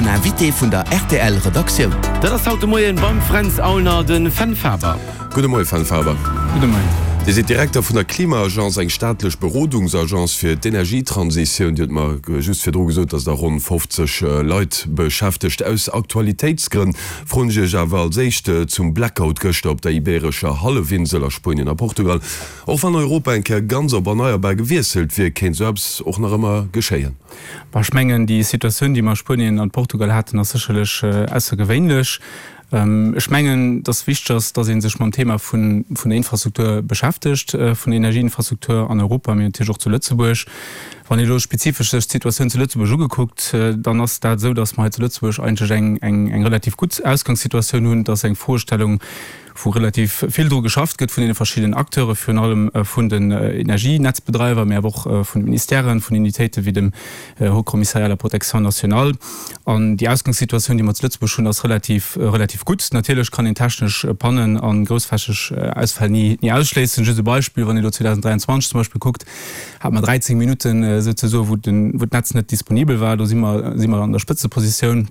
Den Invité vun der rtl Redaktioun. Dat ass haut de Moien beim Fränz Aulner de Fenn Faber. Gudde Moie Fenn Faber. Gudde Moien. Dir sidd Direkter vun der Klima-Agence, eng staatlech Berodungsagence fir d'Energietransitioun. Dir hutt mer just virdru gesot, datt Der ronn 50 Leit beschäftegt. Aus Aktualitéitsgrënn froen ech Iech awer als éischt zum Blackout gëschter op der Ibeerescher Hallefinsel a Spuenien a Portugal. Och wann Europa eng Kéier ganz op erneierbar gewiesselt wier, kéint esou eppes och nach ëmmer geschéien. Bon, ech mengen, déi Situatioun, déi mer a Spuenien an Portugal haten, ass sécherlech aussergewéinlech. Ech mengen, dass wichteg ass, dass ee sech mam Thema vun der Infrastruktur beschäftegt, vun der Energieinfrastruktur an Europa, mee natierlech och zu Lëtzebuerg. Wann ee elo spezifesch sech d'Situatioun zu Lëtzebuerg ugekuckt, dann ass dat esou, dass mer hei zu Lëtzebuerg eigentlech eng relativ gutt Ausgangssituatioun hunn. Et ass eng Froestellung, wou relativ vill dru geschafft gëtt vun deene verschiddenen Acteure, virun allem vun den Energienetzbedreiwer, mä awer och vun de Ministèren, vun Unitéite wéi dem Haut Commissariat à la protection nationale. An déi Ausgangssituatioun, déi mer zu Lëtzebuerg hunn, ass relativ, relativ gutt. Natierlech kann een technesch Pannen a groussflächeg Ausfäll ni, ni ausschléissen. Just e Beispill, Wann een elo 2023 zum Beispill kuckt, hate mer 13 Minutten souzesoe wou den, wou d'Netz net disponibel war. Do si mer, si mer an der Spëtzepositioun.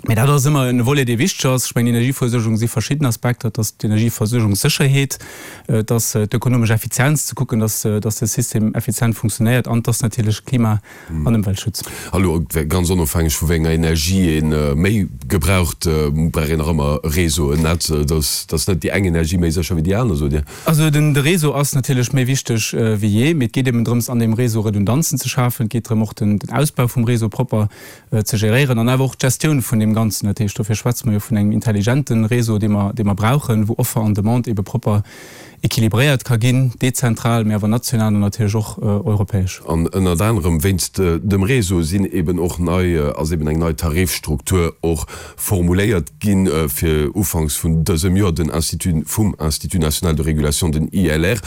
Mee dat ass ëmmer en Volet, dee wichteg ass. Ech mengen, Energieversuergung si verschidden Aspekter. Et ass d'Energieversuergungssécherheet, et ass d'ökonomesch Effizienz, ze kucken, dass, dass de System effizient funktionéiert, an et ass natierlech Klima an Ëmweltschutz. A lo, ganz onofhängeg vu wéi enger Energie ee méi gebraucht, brauch een nach ëmmer e Réseau, en Netz. Et ass net déi eng Energie méi sécher wéi déi aner, sot Dir? Also den, de Réseau ass natierlech méi wichteg wéi jee, mee et geet eben drëms, an deem Réseau Redundanzen ze schafen. Et geet drëm, och den, den Ausbau vum Réseau propper ze geréieren an awer och d'Gestioun vun deem Ganzen. Dat heescht, dofir schwätze mer jo vun engem intelligente Réseau, dee mer, dee mer brauchen, wou Offer an Demande ebe propper équilibréiert ka ginn, dezentral, mä awer national an natierlech och europäesch. An ënnert anerem wéinst dem Réseau sinn eben och nei, ass eben eng nei Tarifstruktur och formuléiert ginn, fir ufanks vun dësem Joer, den Institut vum Institut national de régulation, den ILR.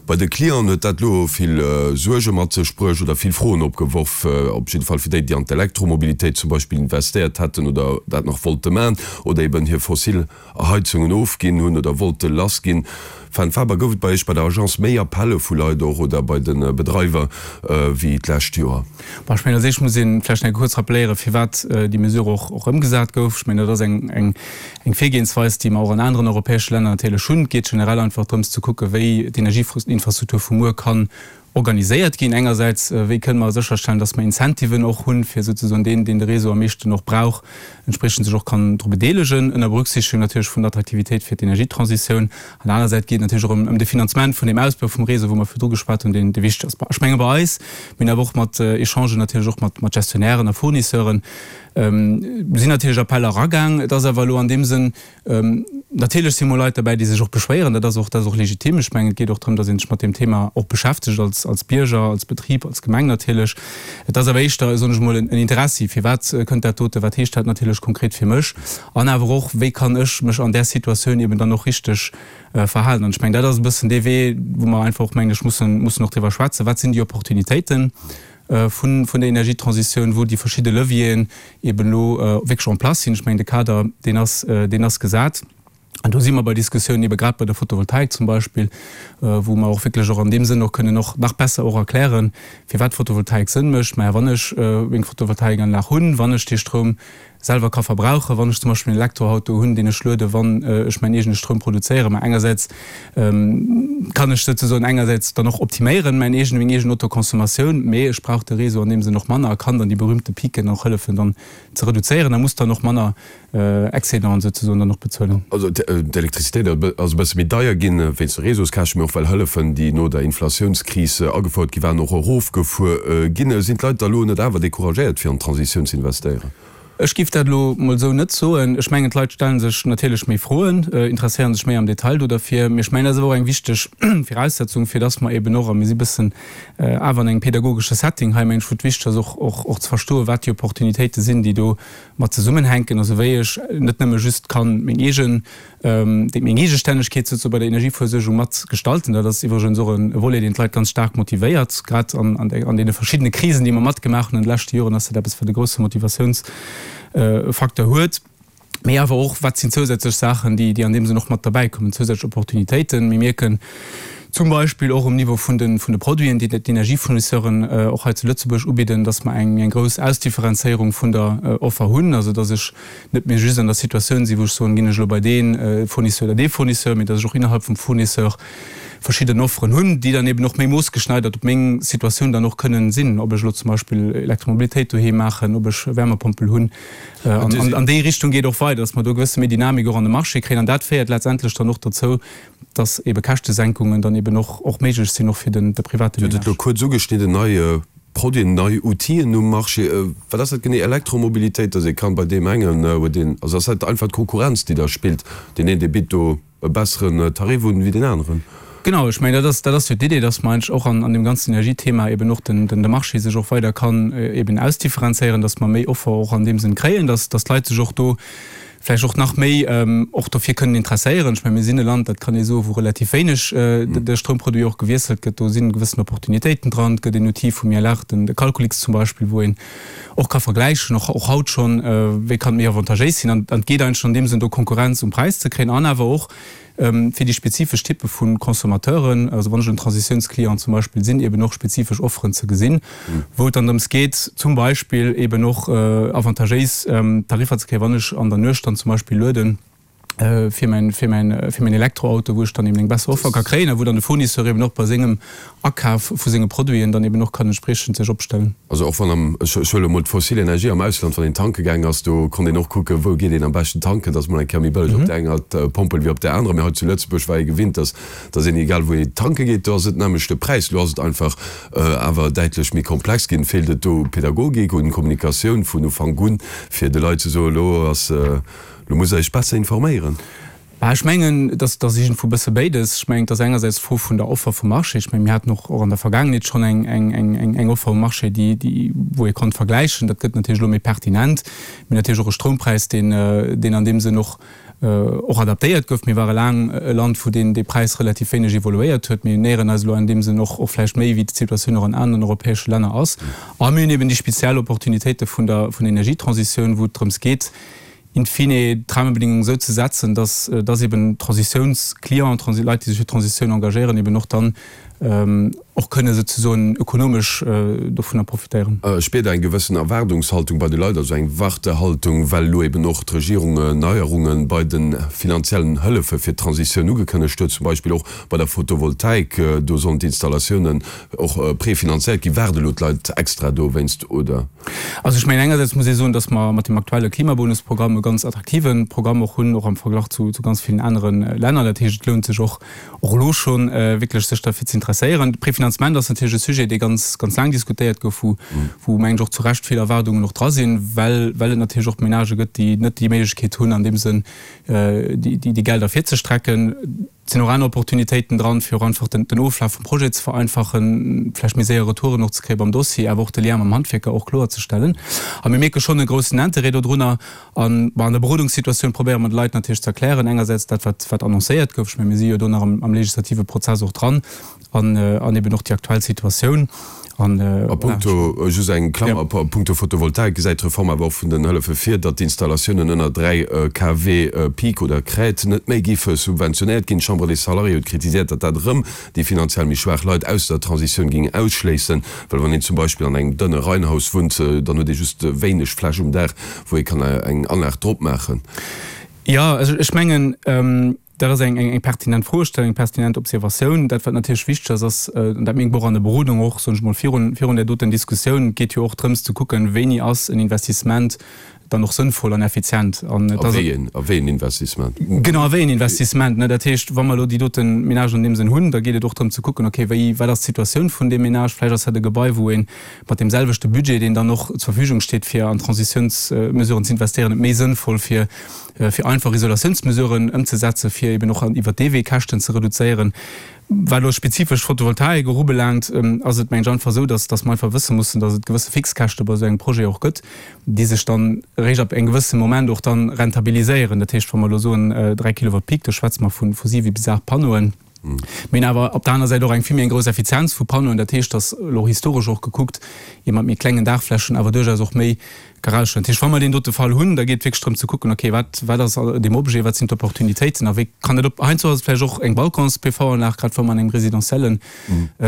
Bei de Clienten huet dat elo vill Suerge mat sech bruecht oder vill Froen opgeworf, op jidde Fall fir déi, déi an d'Elektromobilitéit zum Beispill investéiert hätten oder dat nach wollte man oder eben hir fossil Heizungen ofginn hunn oder wollte lass ginn. Fenn Faber, Gouf et bei Iech bei der Agence méi Appelle vu Leit och oder bei de Bedreiwer wéi d'lescht Joer? Bon, ech mengen, als éischt muss ee vläicht nach eng kuerz rappeléieren, firwat déi Mesure och ëmgesat gouf. Ech mengen, dat ass eng Eng Virgehensweis, déi mer och an aneren europäesche Länner natierlech hunn. Et geet generell einfach drëms ze kucken, wéi d'Energieinfrastruktur vu muer kann organiséiert ginn. Engersäits, wéi kënnen mer sécherstellen, dass mer Incentiven och hunn, fir souzesoen deen, deen de Réseau am meeschten och brauch, entspriechend sech och kann dru bedeelegen, ënner Berücksichtigung natierlech vun der Attraktivitéit fir d'Energietransitioun. An der aner Säit geet et natierlech och ëm de Finanzement vun deem Ausbau vum Réseau, wou mer virdru geschwat hunn, deen wichteg ass. Ech menge bei eis, mir hunn awer och mat Echangen natierlech och mat Gestionnairen a Fournisseuren, Sinn natierlech Appeller eragaang. Et ass awer elo an deem Sënn, natierlech si mol Leit derbäi, déi sech och beschwéieren. Dat ass och, dat ass och legitim. Ech mengen, et geet och drëm, datt ee sech mat deem Thema och beschäftegt als, als Bierger, als Betrib, als Gemeng natierlech. Et ass awer éischter, soen ech mol, en Interessi, Firwat kënnt dat dote, wat heescht dat natierlech konkret fir mech? An awer och, wéi kann ech mech an där Situatioun eben dann och richteg verhalen? An ech mengen, dat ass e bëssen dee Wee, wou mer einfach och, mengen ech, mussen, mussen och driwwer schwätzen, Wat sinn déi Opportunitéiten? vun der Energietransitioun, wou déi verschidde Levieren eben elo wierklech en place sinn. Ech mengen, de Kader, deen ass, deen ass gesat. An do si mer bei Diskussiounen, ebe grad bei der Photovoltaik zum Beispill, wou mer och wierklech och an deem Sënn och kënnen och nach besser och erklären, firwat Photovoltaik Sënn mécht. Maja, wann ech meng Photovoltaikanlag hunn, wann ech dee Stroum selwer ka verbrauchen, wann ech zum Beispill en Elektroauto hunn, deen ech lueden, wann ech mäin eegene Stroum produzéieren. Mä engersäits kann ech souzesoen engersäits dann och optiméieren, mäin eegene, meng eegen Autoconsommatioun, mee ech brauch de Réseau an deem Sënn och manner a kann dann déi berühmte Piquen och hëllefen dann ze reduzéieren a muss dann och manner Excédenten souzesoen dann och bezuelen. Also d'Elektrizitéit ass e bësse méi deier ginn wéinst de Réseauskäschten, mee och well Hëllefen, déi no der Inflatiounskris agefouert gi waren, och erofgefuer ginn. Sinn d'Leit da lo net awer decouragéiert fir an d'Transitioun ze investéieren? Ech giff dat elo mol esou net soen. Ech mengen, d'Leit stelle sech natierlech méi Froen, interesséiere sech méi am Detail do derfir. Mee ech mengen, dat ass awer och eng wichteg Viraussetzung, fir dass mer eben och, a mir si bëssen awer an engem pedagogesche Setting hei, mengen ech, wou et wichteg ass och, och, och ze verstoen, wat déi Opportunitéite sinn, déi do mat zesummenhänken. Also wéi ech net nëmme just kann meng eegen déi meng Eegestännegkeet souzesoe bei der Energieversuergung mat gestalten. Dat ass iwwregens och e Volet, deen d'Leit ganz staark motivéiert. Grad an deene verschiddene Krisen, déi mer matgemaach hunn an de leschte Joren, ass dat eppes, wat e grousse Motivatiounsfacteur huet. Mee awer och, wat sinn zousätzlech Saachen, déi an deem Sënn och mat derbäikommen, zousätzlech Opportunitéiten. Mir mierken. Zum Beispill och um Niveau vun de vun de Produiten, déi d'Energiefournisseuren och hei zu Lëtzebuerg ubidden, dass mer eng eng grouss Ausdifferenzéierung vun der Offer hunn, also dass ech net méi just an der Situatioun sinn, wou ech soen, ginn ech elo bei dee Fournisseur oder dee Fournisseur, mee dass ech och innerhalb vum Fournisseur verschidden Offeren hunn, déi dann eben och méi moossgeschneidert op meng Situatioun dann och kënnen sinn, ob ech elo zum Beispill Elektromobilitéit doheem maachen, ob ech Wärmepompel hunn. An an déi Richtung geet och weider, dass mer do e gewësse méi Dynamik och an de Marché kréien an dat féiert letztendlech dann och dozou, dass ebe Käschtesenkungen dann eben och och méiglech sinn, och fir den de private Dir hutt et Ménage. elo kuerz ugeschnidden, nei Produiten, nei Outiller um Marché. Wat ass dat genee, Elektromobilitéit, dass ee kann bei deem engen huet een, also ass dat einfach d'Konkurrenz, déi da spillt, deen een, dee bitt do e besseren Tarif un wéi deen aneren? Genau, ech mengen, dat ass, dat ass jo d'Idee, dass mer eigentlech och an an deem ganzen Energiethema eben och den den de Marché sech och weider kann eben ausdifferenzéieren, dass mer méi Offer och an deem Sënn kréien, dass dass d'Leit sech och do vläicht och nach méi och dofir kënnen interesséieren. Ech mengen, mir sinn e Land, dat kann ee soen, wou relativ wéineg de Stroumproduit och gewiesselt gëtt. Do si gewëssen Opportunitéiten dran. Et gëtt een Outil vum ILR, den de Calculix zum Beispill, wou een och ka vergläichen, och och haut schonn, wéi kann et méi avantagéis sinn. An et geet eigentlech an deem Sënn do Konkurrenz um Präis ze kréien an awer och fir déi spezifesch Typpe vu Consommateuren, also wann ech en Transitiounsclient zum Beispill sinn, eben och spezifesch Offeren ze gesinn, wou et dann drëms geet, zum Beispill eben och avantagéis Tariffer ze kréien, wann ech an der Nuecht dann zum Beispill lueden fir mäin, fir mäin, fir mäin Elektroauto, wou ech dann eben eng besser Offer ka kréien a wou dann de Fournisseur eben och bei sengem Akaf vu senge Produiten dann eben och kann entspriechend sech opstellen. Also och wann am, ech huele emol d'fossil Energie am Ausland, wann een tanke gaang ass, do konnt een och kucken, wou geet een am beschten tanken, dat ass mol eng Kéier méi bëlleg op där enger Pompel wéi op där anerer. Mee hei zu Lëtzebuerg war ee gewinnt, dass dass een, egal wou ee tanke geet, do ass et nämmlecht de Präis. Elo ass et einfach awer däitlech méi komplex ginn. Feelt et do u Pädagogik, un Kommunikatioun vun Ufank un, fir de Leit ze soen, elo ass, elo musst Der Iech besser informéieren? Bah, ech mengen, et ass, et ass iergendwou e bësse béides. Ech mengen, et ass engersäits d'Fro vun der Offer vum Marché. Ech mengen, mir haten och, och an der Vergaangenheet schonn eng, eng, eng, eng, eng Offer um Marché, déi, déi, wou ee konnt vergläichen. Dat gëtt natierlech elo méi pertinent. Mir hunn natierlech och e Stroumpräis, deen, deen an deem Sënn och, och adaptéiert gouf. Mir ware laang e Land, wou deen, dee Präis relativ wéineg evoluéiert huet. Mir näheren eis elo an deem Sënn och, och vläicht méi, wéi d'Situatioun och an aneren europäesche Länner ass. A mir hunn eben déi speziell Opportunitéite vun der, vun der Energietransitioun, wou et drëms geet, in fine d'Rahmenbedingungen esou ze setzen, dass, dass eben Transitiounsclienten, Leit, déi sech fir d'Transitioun engagéieren, eben och dann och kënne souzesoen ökonomesch dovunner profitéieren. Spiert Der eng gewëssen Erwaardungshaltung bei de Leit, also eng Wartehaltung, well elo eben och d'Regierung Neierunge bei de finanziellen Hëllefe fir d'Transitioun ugekënnegt huet, zum Beispill och bei der Photovoltaik, do sollen d'Installatiounen och prefinanzéiert ginn. Waarde elo d'Leit extra dowéinst, oder? Also ech mengen, engersäits muss ee soen, dass mer mat deem aktuelle Klimabonusprogramm e ganz attraktive Programm och hunn, och am Verglach zu ganz villen anere Länner. Dat heescht, et lount sech och, och elo schonn wierklech sech derfir ze interesséieren. De Prefinanzement ass natierlech e Sujet, dee ganz, ganz laang diskutéiert gouf, wou, wou mengen ech och zu Recht vill Erwaardungen och dra sinn, well, well et natierlech och Menagë gëtt, déi net déi Méiglechkeet hunn, an deem Sënn déi, déi Gelder virzestrecken. Et sinn och aner Opportunitéiten dran, fir och einfach den Oflaf vum Projet ze vereinfachen, vläicht méi séier Retouren och ze kréie beim Dossier, awer och de Lien mam Handwierker och kloerzestellen. A mir mierke schonn e groussen Interêt dodrunner. An, bon, an der Berodungssituatioun probéiere mer de Leit natierlech ze erklären, engersäits dat, wat, wat annoncéiert gouf, ech menge mir si jo do nach am legislative Prozess och dran, an, an eben och déi aktuell Situatioun. An, A punkto, just eng Klammer, a punkto Photovoltaik gesäit d'Reform awer och vun den Hëllefe vir, datt d'Installatiounen ënner 3 kW Peak oder Crête net méi géife subventionéiert ginn. D'Chambre des Salariés huet kritiséiert, datt dat erëm déi finanziell méi schwaach Leit aus der Transitioun géing ausschléissen, well wann een zum Beispill an engem dënne Reihenhaus wunnt, dann huet ee just wéineg Fläch um Daach, wou ee kann eng Anlag drop maachen. Jo, also ech mengen, Dat ass eng pertinent Froestellung, eng pertinent Observatioun. Dat, wat natierlech wichteg ass, ass, an dat mierkt mer och an der Berodung och, soen ech mol, virun, virun där doten Diskussioun, et geet jo och drëms ze kucken, wéini ass en Investissement dann och sënnvoll an effizient. An et ass. A wéi een, a wéi een Investissement? Genau, a wéi een Investissement, ne. Dat heescht, wa mer elo déi dote Ménagen an deem Sënn hunn, da geet et och drëm ze kucken, okay, wéi, wat ass d'Situatioun vun deem Ménage? Vläicht ass dat e Gebai, wou ee mat deem selwechte Budget, deen dann och zur Verfügung steet, fir an Transitiounsmesuren ze investéieren, et méi sënnvoll fir, fir einfach Isolatiounsmesuren ëmzesetzen, fir eben och iwwert dee Wee Käschten ze reduzéieren. Wat elo spezifesch d'Photovoltaik och ubelaangt, ass et, mengen ech, einfach esou, dass, dass mer einfach wësse mussen, dass et gewësse Fixkäschte bei esou engem Projet och gëtt, déi sech dann eréischt ab engem gewësse Moment och dann rentabiliséieren. Dat heescht, wa mer elo soen 3 Kilowatt Peak, do schwätze mer vu 7 bis 8 Panneauen. Mir hunn awer op der aner Säit och eng vill méi eng grouss Effizienz vu Panneauen. Dat heescht, datt elo historesch och gekuckt, ee mat méi klengen Daachflächen awer duerchaus och méi ka rausstellen. Dat heescht, wa mer deen dote Fall hunn, da geet et wierklech drëm ze kucken, okay, wat, wat ass deem Objet, wat sinn d'Opportunitéiten a wéi kann dat op, heiansdo ass et vläicht och eng Balcons-PV-Anlag, grad wa mer an engem residentielle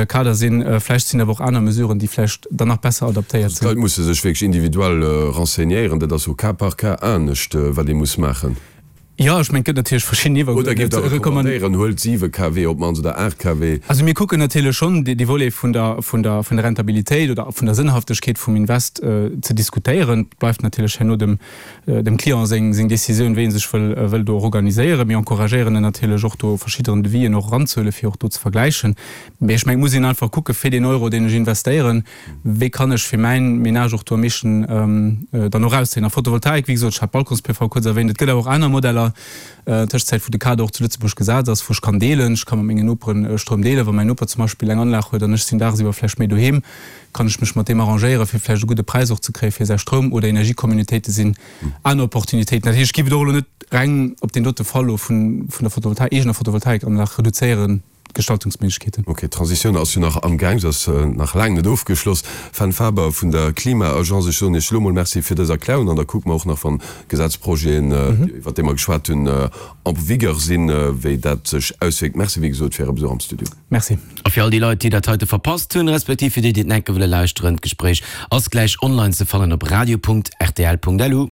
Kader sinn, vläicht sinn awer och aner Mesuren, déi vläicht dann nach besser adaptéiert sinn. D'Leit musse sech wierklech individuell renseignéieren, dat ass au cas par cas anescht, wat ee muss maachen. Jo, ech mengen, et gëtt natierlech verschidden Iwwer. Oder giff Der recommandéieren, huelt 7 kW op d'mannst oder 8 kW? Also mir kucken natierlech schonn dee Volet vun der, vun der, vun der Rentabilitéit oder vun der Sënnhaftegkeet vum Invest ze diskutéieren. Et bleift natierlech herno dem, dem Client seng, seng Décisioun, wéi e sech wëll, wëll do och organiséieren. Mir encouragéieren en natierlech och do verschidderen Devisen och eranzehuelen, fir och do ze vergläichen. Mee ech mengen, et muss een einfach kucke fir deen Euro, deen ech investéieren, Wéi kann ech fir mäin Menage och do am meeschten dann och erauszéien? A Photovoltaik, wéi gesot, ech hat Balcons-PV kuerz erwähnt, et gëtt awer och aner Modeller an Tëschenzäit, wou de Kader och zu Lëtzebuerg gesat ass, wou ech kann deelen. Ech ka mat mengen Noperen Stroum deelen. Wa mäin Noper zum Beispill eng Anlag huet an ech sinn dagsiwwer vläicht méi doheem, kann ech mech mat deem arrangéieren, fir vläicht e gudde Präis och ze kréie fir säi Stroum. Oder Energiecommunautéite sinn aner Opportunitéiten. Dat heescht, ech géif et och elo net reng op deen dote Fall elo vun der Photovoltaik, eegener Photovoltaikanlag reduzéieren. Gestaltungsméiglechkeeten. Ok, d'Transitioun ass jo nach amgaang, se ass nach laang net ofgeschloss. Fenn Faber vun der Klima-Agence, ech soen Iech elo mol Merci fir dës Erklärung an da kucke mer och nach, wann d'Gesetzprojeten, iwwert déi mer geschwat hunn, en vigueur sinn, wéi dat sech auswierkt. Merci, wéi gesot, fir Äre Besuch am Studio. Merci. A fir all déi Leit, déi dat heite verpasst hunn, respektiv fir déi, déi et nach enke wëlle lauschteren, d'Gespréich ass gläich online ze fannen op radio.rtl.lu.